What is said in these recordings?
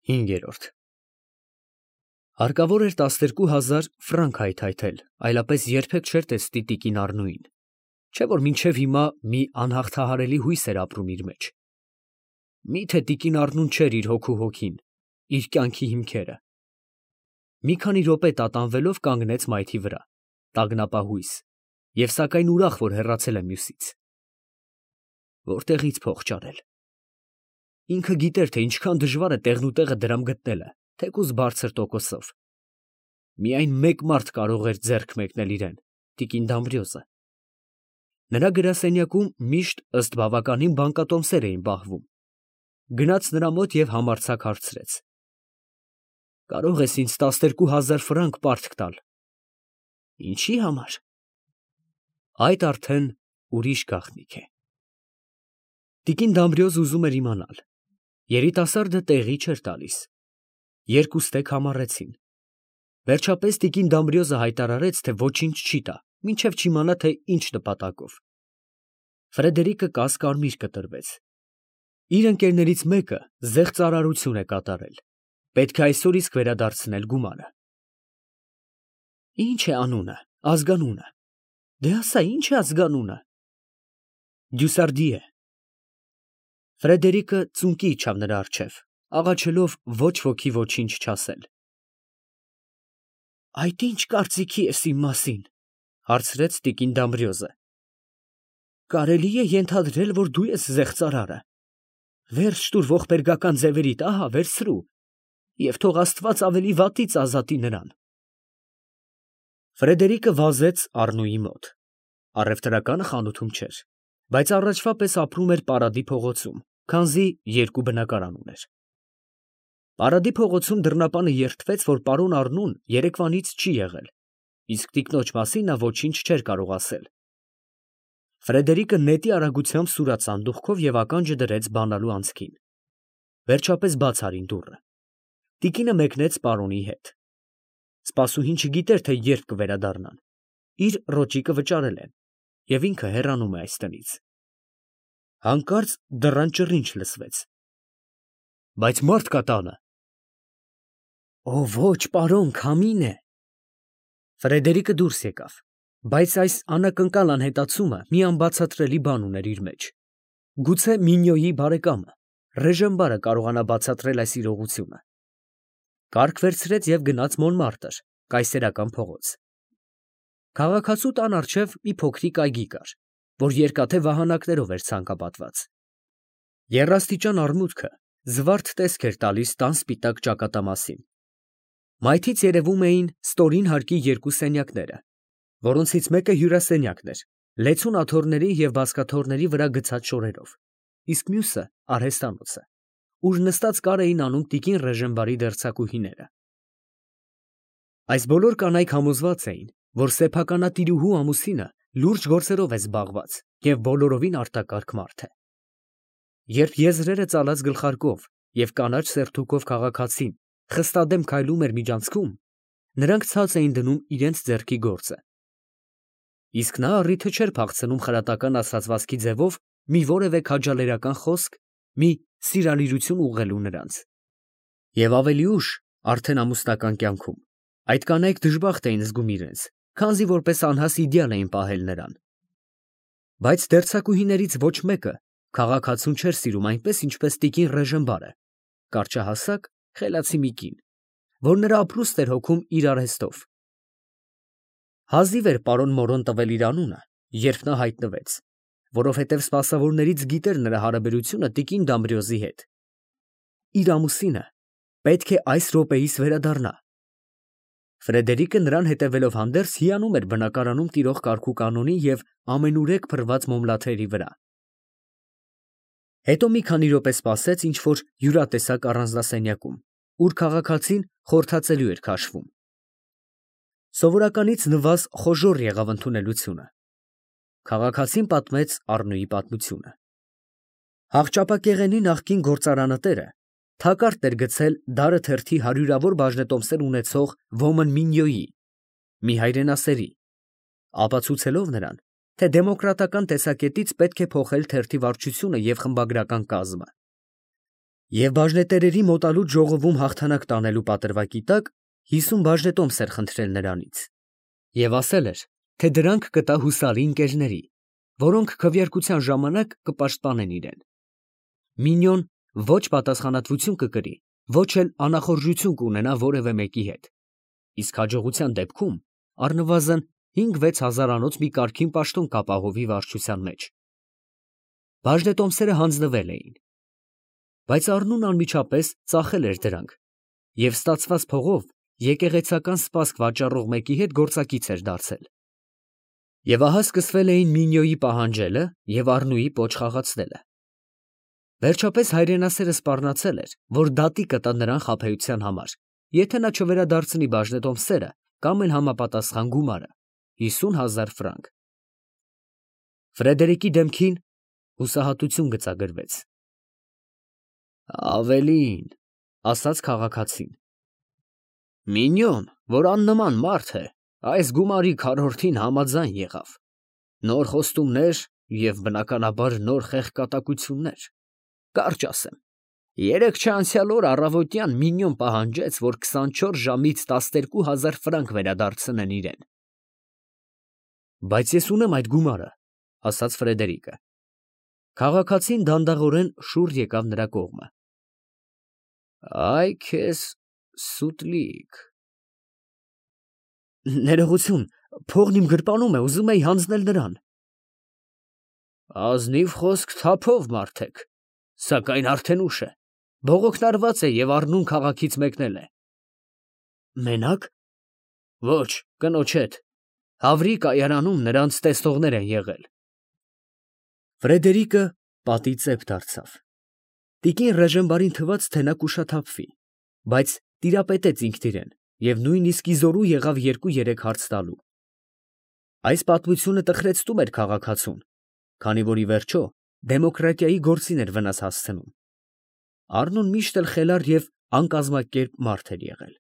5-րդ Հարկավոր էր 12,000 ֆրանկ հայթայթել, այլապես երբեք չէր տեսնի տիկին Առնուին, չէ՞ որ մինչև հիմա մի անհաղթահարելի հույս էր ապրում իր մեջ։ Մի՞թե տիկին Առնուն չէր իր հոգու հոգին, իր կյանքի հիմքերը։ Մի քանի րոպե տատանվելով կանգնեց մայթի վրա, տագնապահույս, և սակայն ուրախ, որ հեռացել է մյուսից։ Որտեղի՞ց փող ճարել։ Ինքը գիտեր, թե ինչքան դժվար է տեղնուտեղը դրամ գտնելը, թեկուզ բարձր տոկոսով։ Միայն մեկ մարդ կարող էր ձեռք մեկնել իրեն, տիկին Դամբրիոզը։ Նրա գրասենյակում միշտ ըստ բավականին բանկատոմսեր էին պահվում։ Գնաց նրա մոտ և համարձակ հարցրեց. «Կարող ես ինձ 12,000 ֆրանկ պարտք տալ»։ «Ինչի համար»։ Այդ արդեն ուրիշ գաղտնիք է։ Տիկին Դամբրիոզը ուզում էր իմանալ։ Երիտասարդը տեղի չէր տալիս։ Երկուստեք համառեցին։ Վերջապես տիկին Դամբրիոզը հայտարարեց, թե ոչինչ չի տա, մինչև չիմանա, թե ինչ նպատակով։ Ֆրեդերիկը կասկարմիր կտրվեց։ Իր ընկերներից մեկը զեղծարարություն է կատարել։ Պետք է այսօր իսկ վերադարձնել գումարը։ Ինչ է անունը, ազգանունը։ Դե ասա, ինչ է ազգանունը։ Դյուսարդիե։ Ֆրեդերիկը ծունկի իջավ նրա առջև, աղաչելով ոչ ոքի ոչինչ չասել։ Այդ ի՞նչ կարծիքի ես իմ մասին, հարցրեց տիկին Դամբրիոզը։ Կարելի է ենթադրել, որ դու ես զեղծարարը։ Վերջ տուր ողբերգական ձևերիդ, ահա վերցրու, և թող Աստված ավելի վատից ազատի նրան։ Ֆրեդերիկը վազեց Առնուի մոտ։ Առևտրականը խանութում չէր, բայց առաջվա պես ապրում էր Պարադի փողոցում, քանզի երկու բնակարան ուներ։ Պարադի փողոցում դռնապանը երդվեց, որ պարոն Առնուն երեկվանից չի եղել, իսկ տիկնոջ մասին նա ոչինչ չէր կարող ասել։ Ֆրեդերիկը նետի արագությամբ սուրաց սանդուղքով և ականջը դրեց բանալու անցքին։ Վերջապես բաց արին դուռը։ Տիկինը մեկնեց պարոնի հետ։ Սպասուհին չգիտեր, թե երբ կվերադառնան։ Իր ռոճիկը վճարել են, և ինքը հեռանում է այստեղից։ Հանկարծ դռան ճռինչ լսվեց։ Բայց մարդ կա տանը։ Օ, ոչ, պարոն, քամին է։ Ֆրեդերիկը դուրս եկավ, բայց այս անակնկալ անհետացումը մի անբացատրելի բան ուներ իր մեջ։ Գուցե Մինյոյի բարեկամը, Ռեժեմբարը կարողանա բացատրել այս իրողությունը։ Կառք վերցրեց և գնաց Մոնմարտր, կայսերական փողոց։ Քաղաքացու տան առջև մի փոքրիկ այգի կար, որ երկաթե վահանակներով էր ցանկապատված։ Եռաստիճան արմուտքը զվարթ տեսք էր տալիս տան սպիտակ ճակատամասին։ Մայթից երևում էին ստորին հարկի երկու սենյակները, որոնցից մեկը հյուրասենյակն էր, լեցուն աթոռների և բազկաթոռների վրա գցած շորերով, իսկ մյուսը արհեստանոցը, ուր նստած կար էին անում տիկին Ռեժեմբարի դերձակուհիները։ Այս բոլոր կանայք համոզված էին, որ սեփականատիրուհու ամուսինը լուրջ գործերով է զբաղված և բոլորովին արտակարգ մարդ է։ Երբ եզրերը ծալած գլխարկով և կանաչ սերթուկով քաղաքացին խստադեմ քայլում էր միջանցքում, նրանք ցած էին դնում իրենց ձեռքի գործը։ Իսկ նա առիթը չէր փախցնում խրատական ասացվածքի ձևով մի որևէ քաջալերական խոսք, մի սիրալիրություն ուղղելու նրանց։ Եվ ավելի ուշ, արդեն ամուսնական կյանքում, այդ կանայք դժբախտ էին զգում իրենց, քանզի որպես անհաս իդեալ էին պահել նրան։ Բայց դերձակուհիներից ոչ մեկը քաղաքացուն չէր սիրում այնպես, ինչպես տիկին Ռեժեմբարը, կարճահասակ, խելացի մի կին, որ նրա ապրուստն էր հոգում իր արհեստով։ Հազիվ էր պարոն Մորոն տվել իր անունը, երբ նա հայտնվեց, որովհետև սպասավորներից գիտեր նրա հարաբերությունը տիկին Դամբրիոզի հետ։ Իր ամուսինը պետք է այս րոպեիս վերադառնա։ Ֆրեդերիկը նրան հետևելով հանդերձ հիանում էր բնակարանում տիրող կարգուկանոնի և ամենուրեք փռված մոմլաթերի վրա։ Հետո մի քանի րոպե սպասեց ինչ֊որ հյուրատեսակ առանձնասենյակում, ուր քաղաքացին խորհրդածելու էր քաշվում։ Սովորականից նվազ խոժոռ եղավ ընդունելությունը։ Քաղաքացին պատմեց Առնուի պատմությունը։ Հաղճապակեղենի նախկին գործարանը տերը թակարդ էր գցել դարը թերթի հարյուրավոր բաժնետոմսեր ունեցող ոմն Մինյոյի, մի հայրենասերի, ապացուցելով նրան, թե դեմոկրատական տեսակետից պետք է փոխել թերթի վարչությունը և խմբագրական կազմը։ Եվ բաժնետերերի մոտալուտ ժողովում հաղթանակ տանելու պատրվակի տակ 50 բաժնետոմս էր խնդրել նրանից և ասել էր, թե դրանք կտա հուսարի ընկերների, որոնք քվեարկության ժամանակ կպաշտպանեն իրեն։ Մինյոն ոչ պատասխանատվություն կկրի, ոչ էլ անախորժություն կունենա որևէ մեկի հետ, իսկ հաջողության դեպքում առնվազն 5-6 հազարանոց մի կարգին պաշտոն կապահովի վարչության մեջ։ Բաժնետոմսերը հանձնվել էին, բայց Առնուն անմիջապես ծախել էր դրանք և ստացված փողով եկեղեցական սպասք վաճառող մեկի հետ գործակից էր դարձել։ Եվ ահա սկսվել էին Մինյոյի պահանջելը և Առնուի պոչ խաղացնելը։ Վերջապես հայրենասերը սպառնացել էր, որ դատի կտա նրան խաբեության համար, եթե նա չվերադարձնի բաժնետոմսերը կամ էլ համապատասխան գումարը՝ 50,000 ֆրանկ։ Ֆրեդերիկի դեմքին հուսահատություն գծագրվեց։ Ավելին, ասաց քաղաքացին, Մինյոն, որ աննման մարդ է, այս գումարի քառորդին համաձայն եղավ։ Նոր խոստումներ և բնականաբար նոր խեղկատակություններ։ Կարճ ասեմ, երեկ չանցյալ օր առավոտյան Մինյոն պահանջեց, որ 24 ժամից 12,000 ֆրանկ վերադարձնեն իրեն։ Բայց ես ունեմ այդ գումարը, ասաց Ֆրեդերիկը։ Քաղաքացին դանդաղորեն շուռ եկավ նրա կողմը։ Այ քեզ սուտլիկ։ Ներողություն, փողն իմ գրպանում է, ուզում էի հանձնել նրան։ Ազնիվ խոսք թափով մարդեք, սակայն արդեն ուշ է, բողոքն արված է և Առնուն քաղաքից մեկնել է։ Մենակ։ Ոչ, կնոջ հետ, Հավրի կայարանում նրանց տեսնողներ են եղել։ Ֆրեդերիկը պատի ծեպ դարձավ։ Տիկին Ռեժենբարին թվաց, թե նա կուշաթափվի, բայց տիրապետեց ինքն իրեն և նույնիսկ ի զորու եղավ 2-3 հարց տալու։ Այս պատմությունը տխրեցնում էր քաղաքացուն, քանի որ ի վերջո դեմոկրատիայի գործին էր վնաս հասցնում։ Առնուն միշտ էլ խելառ և անկազմակերպ մարդ էր եղել։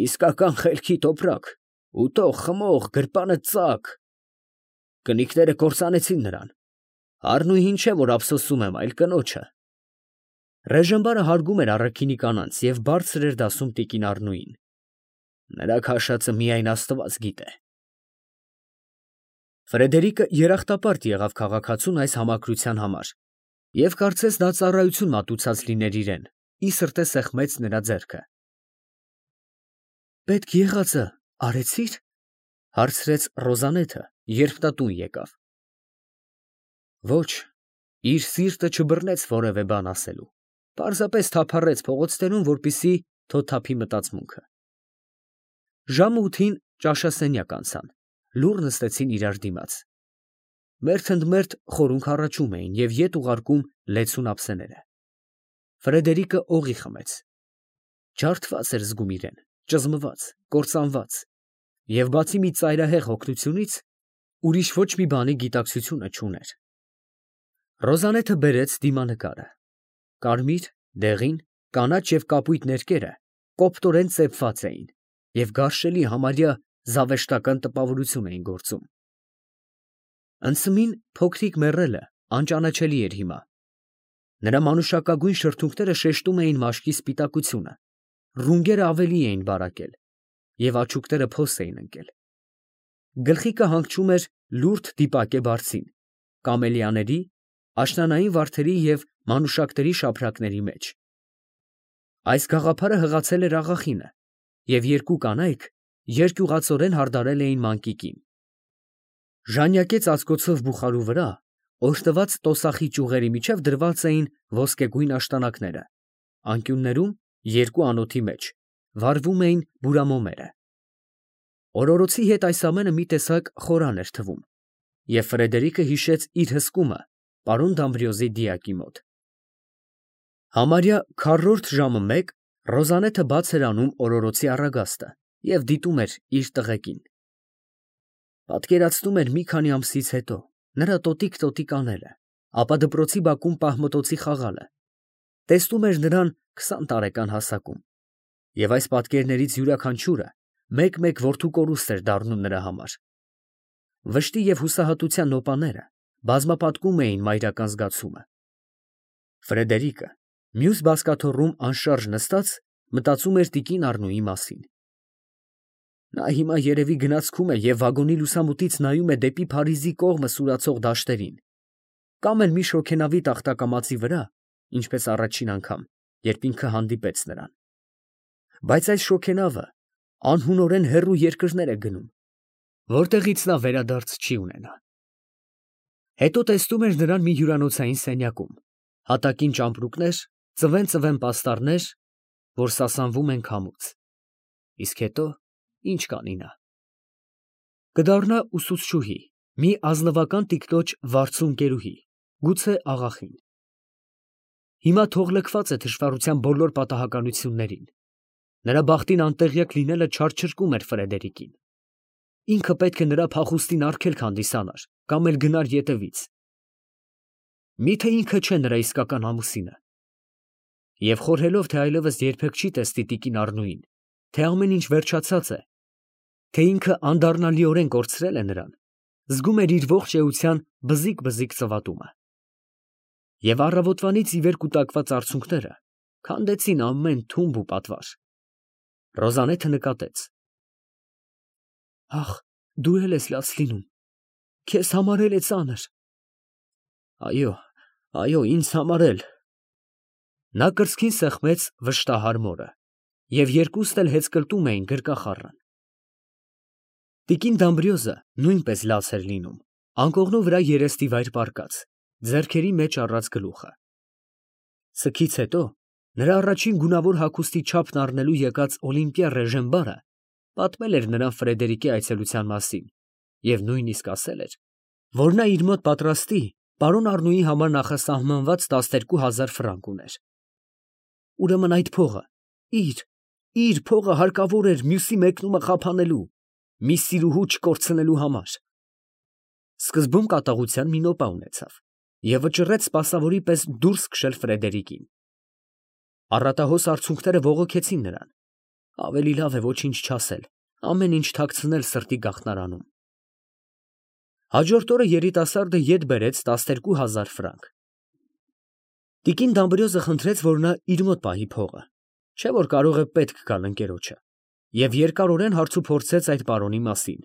Իսկական խելքի տոպրակ, ուտող, խմող, գրպանը ծակ։ Կնիկները կործանեցին նրան։ Առնուհին չէ, որ ափսոսում եմ, այլ կնոջը։ Ռեժենբարը հարգում էր առաքինի կանանց և բարձր էր դասում տիկին Առնուին։ Նրա քաշածը միայն Աստված գիտե։ Ֆրեդերիկը երախտապարտ եղավ քաղաքացուն այս համակրության համար և կարծես դա ծառայություն մատուցած լիներ իրեն, ի սրտե սեղմեց նրա ձեռքը։ Պետք եղածը արեցի՞ր, հարցրեց Ռոզանեթը, երբ նա տուն եկավ։ Ոչ, իր սիրտը չբռնեց որևէ բան ասելու, պարզապես թափառեց փողոցներում, որպեսզի թոթափի մտածմունքը։ Ժամը 8-ին ճաշասենյակ անցան, լուռ նստեցին իրար դիմաց։ Մերթ ընդ մերթ խորունգ հառաչում էին և ետ ուղարկում լեցուն ափսեները։ Ֆրեդերիկը օղի խմեց։ Ջարդված էր զգում իրեն, ճզմված, կործանված, և բացի մի ծայրահեղ հոգնությունից, ուրիշ ոչ մի բանի գիտակցությունը չուներ։ Ռոզանեթը բերեց դիմանկարը։ Կարմիր, դեղին, կանաչ և կապույտ ներկերը կոպտորեն ծեփված էին և գարշելի համարյա զավեշտական տպավորություն էին գործում։ Ընծմին փոքրիկ մեռելը անճանաչելի էր հիմա։ Նրա մանուշակագույն շրթունքները շեշտում էին մաշկի սպիտակությունը, ռունգերը ավելի էին բարակել և աչուկները փոս էին ընկել։ Գլխիկը հանգչում էր լուրջ դիպակե բարձին, կամելիաների, աշնանային վարդերի և մանուշակների շափրակների մեջ։ Այս գաղափարը հղացել էր աղախինը, և երկու կանայք երկյուղածորեն հարդարել էին մանկիկին։ Ժանյակե ծածկոցով բուխարու վրա օժտված տոսախի ճյուղերի միջև դրված էին ոսկեգույն աշտանակները, անկյուններում երկու անոթի մեջ վառվում էին բուրամոմերը։ Օրորոցի հետ այս ամենը մի տեսակ խորան էր թվում, և Ֆրեդերիկը հիշեց իր հսկումը պարոն Դամբրիոզի դիակի մոտ։ Համարյա քառորդ ժամը մեկ Ռոզանեթը բաց էր անում օրորոցի առագաստը և դիտում էր իր տղեկին։ Պատկերացնում էր մի քանի ամսից հետո նրա տոտիկ անելը, ապա դպրոցի բակում պահմտոցի խաղալը, տեսնում էր նրան 20 տարեկան հասակում, և այս պատկերներից յուրաքանչյուրը մեկ-մեկ որդու կորուստ էր դառնում նրա համար։ Վշտի և հուսահատության նոպաները բազմապատկում էին մայրական զգացումը։ Ֆրեդերիկը մյուս բազկաթոռում անշարժ նստած մտածում էր տիկին Առնուի մասին։ Նա հիմա երևի գնացքում է և վագոնի լուսամուտից նայում է դեպի Փարիզի կողմը սուրացող դաշտերին, կամ էլ մի շոգենավի տախտակամածի վրա, ինչպես առաջին անգամ, երբ ինքը հանդիպեց նրան։ Բայց այս շոգենավը անհունորեն հեռու երկրներ է գնում, որտեղից նա վերադարձ չի ունենա։ Հետո տեսնում էր նրան մի հյուրանոցային սենյակում, հատակին ճամպրուկներ, ծվեն պաստառներ, որ սասանվում են քամուց։ Իսկ հետո ինչ կանի նա։ Կդառնա ուսուցչուհի, մի ազնվական տիկնոջ վարձուն գերուհի, գուցե աղախին։ Հիմա թող լքված է թշվառության բոլոր պատահականություններին։ Նրա բախտին անտեղյակ լինելը չարչրկում էր Ֆրեդերիկին։ Ինքը պետք է նրա փախուստին արգելք հանդիսանար, կամ էլ գնար ետևից։ Միթե ինքը չէ նրա իսկական ամուսինը։ Եվ խորհելով, թե այլևս երբեք չի տեսնի տիկին Առնուին, թե ամեն ինչ վերջացած է, թե ինքը անդառնալիորեն կորցրել է նրան, զգում էր իր ողջ էության բզիկ ծվատումը։ Եվ առավոտվանից ի վեր կուտակված արցունքները քանդեցին ամեն թումբ ու պատվար։ Ռոզանեթը նկատեց. «Ախ, դու էլ ես լաց լինում, քեզ համար էլ է ծանր»։ Այո, ինձ համար էլ։ Նա կրծքին սեղմեց վշտահար մորը, և երկուստ էլ հեծկլտում էին գրկախառն։ Տիկին Դամբրիոզը նույնպես լաց էր լինում, անկողնու վրա երեստի վայր պառկած, ձեռքերի մեջ առած գլուխը։ Սքից հետո նրա առաջին գունավոր հագուստի չափն առնելու եկած Օլիմպիա Ռեժենբարը պատմել էր նրան Ֆրեդերիկի այցելության մասին և նույնիսկ ասել էր, որ նա իր մոտ պատրաստի պարոն Առնուի համար նախասահմանված 12,000 ֆրանկ ուներ։ Ուրեմն այդ փողը, իր փողը հարկավոր էր մյուսի մեկնումը խափանելու, մի սիրուհու չկորցնելու համար։ Սկզբում կատաղության մի նոպա ունեցավ և վճռեց սպասավորի պես դուրս քշել Ֆրեդերիկին։ Առատահոս արցունքները ողոքեցին նրան։ Ավելի լավ է ոչինչ չասել, ամեն ինչ թաքցնել սրտի գաղտնարանում։ Հաջորդ օրը երիտասարդը ետ բերեց 12,000 ֆրանկ։ Տիկին Դամբրիոզը խնդրեց, որ նա իր մոտ պահի փողը, չէ՞ որ կարող է պետք գալ ընկերոջը, և երկարորեն հարցուփորձեց այդ պարոնի մասին։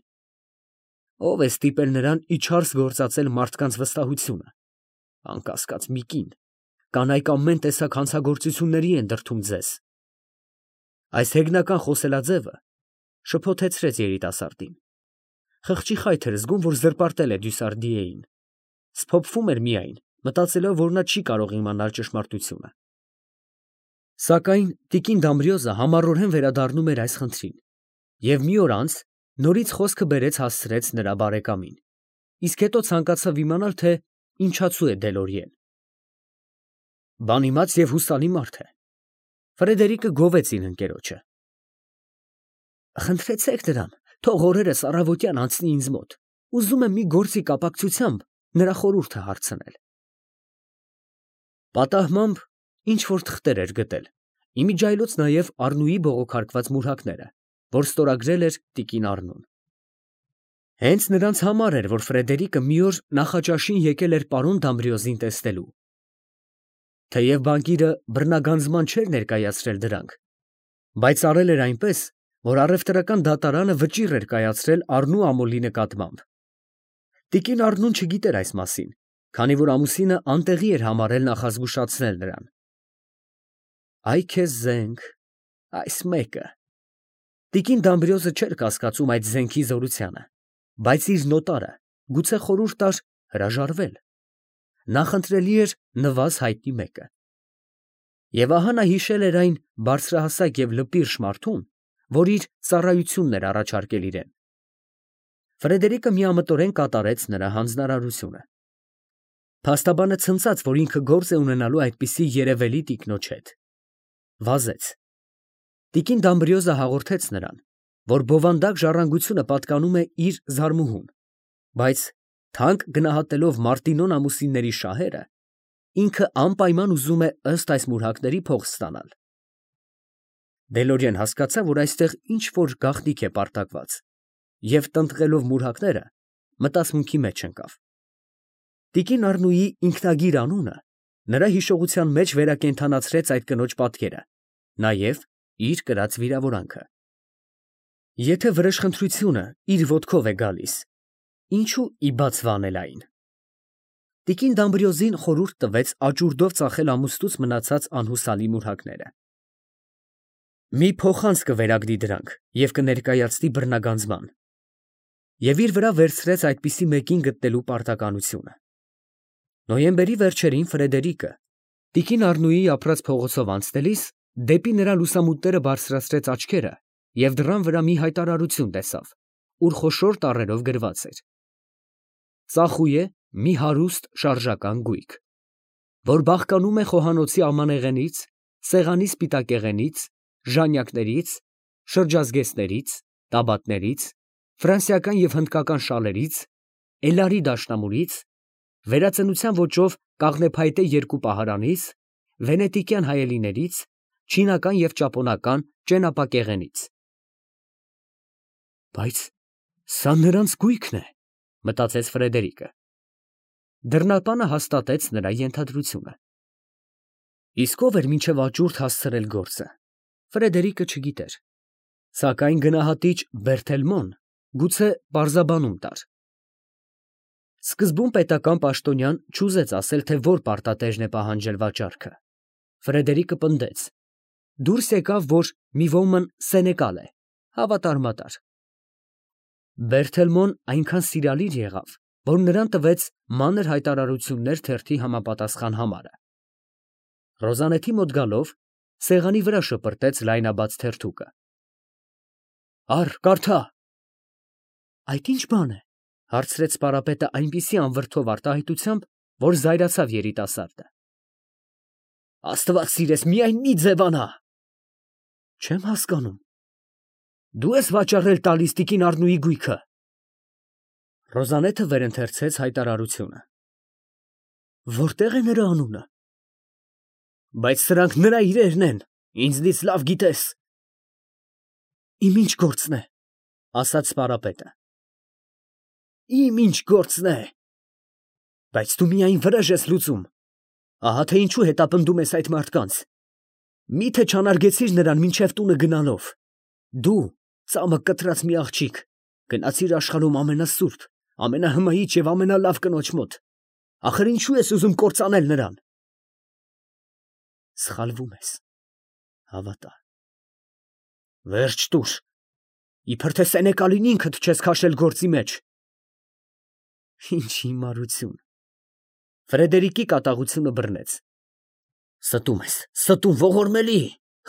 Ո՞վ է ստիպել նրան իջարս գործածել մարդկանց վստահությունը։ Անկասկած մի կին, կանայք ամեն տեսակ հանցագործությունների են դրդում ձեզ։ Այս հեգնական խոսելաձևը շփոթեցրեց երիտասարդին։ Խղճի խայթ էր զգում, որ զրպարտել է Դյուսարդիեին։ Սփոփվում էր միայն, մտածելով, որ նա չի կարող իմանալ ճշմարտությունը։ Սակայն տիկին Դամբրիոզը համառորեն վերադառնում էր այս խնդրին, և մի օր անց նորից խոսքը բերեց հասցրեց նրա բարեկամին, իսկ հետո ցանկացավ իմանալ, թե ինչացու է Դելորիեն։ Բան իմաց և հուսալի մարդ է։ Ֆրեդերիկը գովեց իր ընկերոջը։ Խնդրեցեք նրան, թող օրերս առավոտյան անցնի ինձ մոտ, ուզում եմ մի գործի կապակցությամբ նրա խորհուրդը հարցնել։ Պատահմամբ ինչ որ թղթեր էր գտել, իմիջիայլոց նաև Առնուի բողոքարկված մուրհակները, որ ստորագրել էր տիկին Առնուն։ Հենց նրանց համար էր, որ Ֆրեդերիկը մի օր նախաճաշին եկել էր պարոն Դամբրիոզին տեսնելու։ Թեև բանկիրը բռնագանձման չէր ներկայացրել դրանք, բայց արել էր այնպես, որ առևտրական դատարանը վճիռ էր կայացրել Առնու ամոլի նկատմամբ։ Տիկին Առնուն չգիտեր այս մասին, քանի որ ամուսինը անտեղի էր համարել նախազգուշացնել նրան։ Այ քեզ զենք, այս մեկը։ Տիկին Դամբրիոզը չէր կասկածում այդ զենքի զորությանը, բայց իր նոտարը գուցե խորհուրդ տար հրաժարվել։ Նախընտրելի էր նվազ հայտնի մեկը։ Եվ ահա նա հիշել էր այն բարձրահասակ և լպիրշ մարդուն, որ իր ծառայությունն էր առաջարկել իրեն։ Ֆրեդերիկը միամտորեն կատարեց նրա հանձնարարությունը։ Փաստաբանը ցնծաց, որ ինքը գործ է ունենալու այդպիսի երևելի տիկնոջ հետ։ Վազեց։ Տիկին Դամբրիոզը հաղորդեց նրան, որ բովանդակ ժառանգությունը պատկանում է իր զարմուհուն, բայց թանկ գնահատելով Մարտինոն ամուսինների շահերը, ինքը անպայման ուզում է ըստ այս մուրհակների փող ստանալ։ Դելորիեն հասկացավ, որ այստեղ ինչ որ գաղտնիք է պարտակված, և տնտղելով մուրհակները, մտածմունքի մեջ ընկավ։ Տիկին Առնուի ինքնագիր անունը Նրա հիշողության մեջ վերակենդանացրեց այդ կնոջ պատկերը, նաև իր կրած վիրավորանքը։ Եթե վրեժխնդրությունը իր ոտքով է գալիս, ինչու ի բաց վանել այն։ Տիկին Դամբրիոզին խորհուրդ տվեց աճուրդով ծախել ամուսնուց մնացած անհուսալի մուրհակները։ Մի փոխանց կվերագրի դրանք և կներկայացնի բռնագանձման, և իր վրա վերցրեց այդպիսի մեկին գտնելու պարտականությունը։ Նոյեմբերի վերջերին Ֆրեդերիկը տիկին Առնուիի ապրած փողոցով անցնելիս դեպի նրա լուսամուտները բարձրացրեց աչքերը և դռան վրա մի հայտարարություն տեսավ, ուր խոշոր տառերով գրված էր. «Ծախույե մի հարուստ շարժական գույք, որ բաղկանում է խոհանոցի ամանեղենից, սեղանի սպիտակեղենից, ժանյակներից, շրջազգեստներից, տաբատներից, ֆրանսիական և հնդկական շալերից, էլարի դաշնամուրից, վերածնության ոճով կաղնեփայտե երկու պահարանից, վենետիկյան հայելիներից, չինական և ճապոնական ճենապակեղենից»։ Բայց սա նրանց գույքն է, մտածեց Ֆրեդերիկը։ Դռնապանը հաստատեց նրա ենթադրությունը։ Իսկ ով էր մինչև աճուրդ հասցրել գործը, Ֆրեդերիկը չգիտեր, սակայն գնահատիչ Բերթելմոն գուցե պարզաբանում տար։ Սկզբում պետական պաշտոնյան չուզեց ասել, թե որ պարտատեժն է պահանջել վաճառքը։ Ֆրեդերիկը պնդեց. դուրս եկավ, որ մի ոմն սենեկալ է, հավատարմատար։ Բերթելմոն այնքան սիրալիր եղավ, որ նրան տվեց մանր հայտարարություններ թերթի համապատասխան համարը։ Ռոզանեթի մոտ գալով, սեղանի վրա շպրտեց լայնաբաց թերթուկը։ Առ, կարդա։ Այդ ի՞նչ բան է, հարցրեց սպարապետը այնպիսի անվրդով արտահայտությամբ, որ զայրացավ երիտասարդը։ Աստված սիրես, միայն մի ձևանա։ Չեմ հասկանում։ Դու ես վաճառել տալիս տիկին Առնուի գույքը։ Ռոզանեթը վերընթերցեց հայտարարությունը։ Որտե՞ղ է նրա անունը։ Բայց սրանք նրա իրերն են, ինձնից լավ գիտես։ Իմ ինչ գործն է, ասաց սպարապետը։ Իմ ինչ գործն է։ Բայց դու միայն վրեժ ես լուծում։ Ահա թե ինչու հետապնդում ես այդ մարդկանց։ Մի՞թե չանարգեցիր նրան մինչև տունը գնալով։ Դու, ծամը կտրած մի աղջիկ, գնացիր աշխարհում ամենասուրբ, ամենահմայիչ և ամենալավ կնոջ մոտ։ Ախր ինչու ես ուզում կործանել նրան։ Սխալվում ես, հավատա։ Վերջ տուր, իբր թե սենեկալին ինքդ չես քաշել գործի մեջ։ Ինչ հիմարություն։ Ֆրեդերիկի կատաղությունը բռնեց։ Ստում ես, ստում, ողորմելի,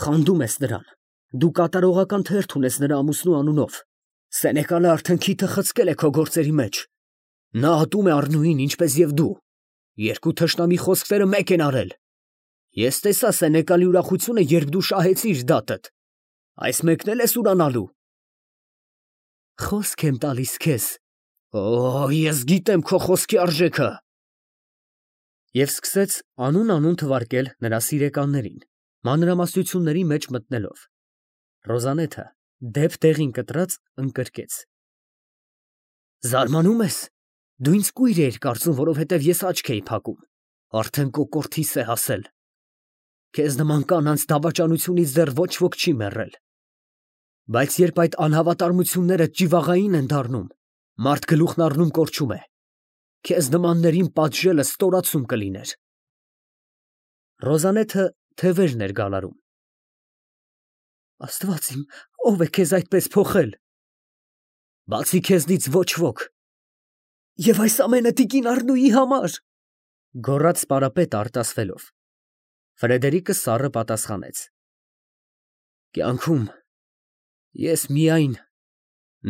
խանդում ես նրան։ Դու կատարողական թերթ ունես նրա ամուսնու անունով։ Սենեկալը արդեն քիթը խցկել է քո գործերի մեջ։ Նա ատում է Առնուին, ինչպես և դու։ Երկու թշնամի խոսքերը մեկ են արել։ Ես տեսա սենեկալի ուրախությունը, երբ դու շահեցիր դատդ։ Այս մեկն էլ ես ուրանալու։ Խոսք եմ տալիս քեզ։ Օ, ես գիտեմ քո խոսքի արժեքը։ Եվ սկսեց անուն թվարկել նրա սիրեկաններին, մանրամասնությունների մեջ մտնելով։ Ռոզանեթը դեպ տեղին կտրած ընկրկեց։ Զարմանում ես։ Դու ինձ կույր էիր կարծում, որովհետև ես աչք էի փակում։ Արդեն կոկորդիս է հասել։ Քեզ նման կանանց դավաճանությունից դեռ ոչ ոք չի մեռել։ Բայց երբ այդ անհավատարմությունները ճիվաղային են դառնում, մարդ գլուխն առնում կորչում է։ Քեզ նմաններին պատժելը ստորացում կլիներ։ Ռոզանեթը թևերն էր գալարում։ Աստված իմ, ով է քեզ այդպես փոխել։ Բացի քեզնից ոչ ոք։ Եվ այս ամենը տիկին Առնուի համար, գոռաց սպարապետը արտասվելով։ Ֆրեդերիկը սառը պատասխանեց. Կյանքում ես միայն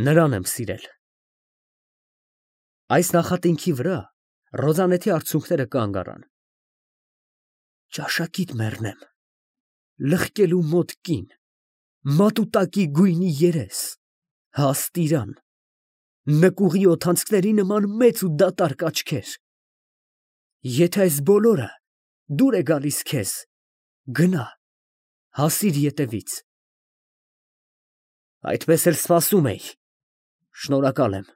նրան եմ սիրել։ Այս նախատինքի վրա Ռոզանեթի արցունքները կանգ առան։ Ճաշակիդ մեռնեմ, լղկելու մոտ կին, մատուտակի գույնի երես, հաստ իրան, նկուղի օդանցքների նման մեծ ու դատարկ աչքեր։ Եթե այս բոլորը դուր է գալիս քեզ, գնա, հասիր ետևից։ Այդպես էլ սպասում էի։ Շնորհակալ եմ։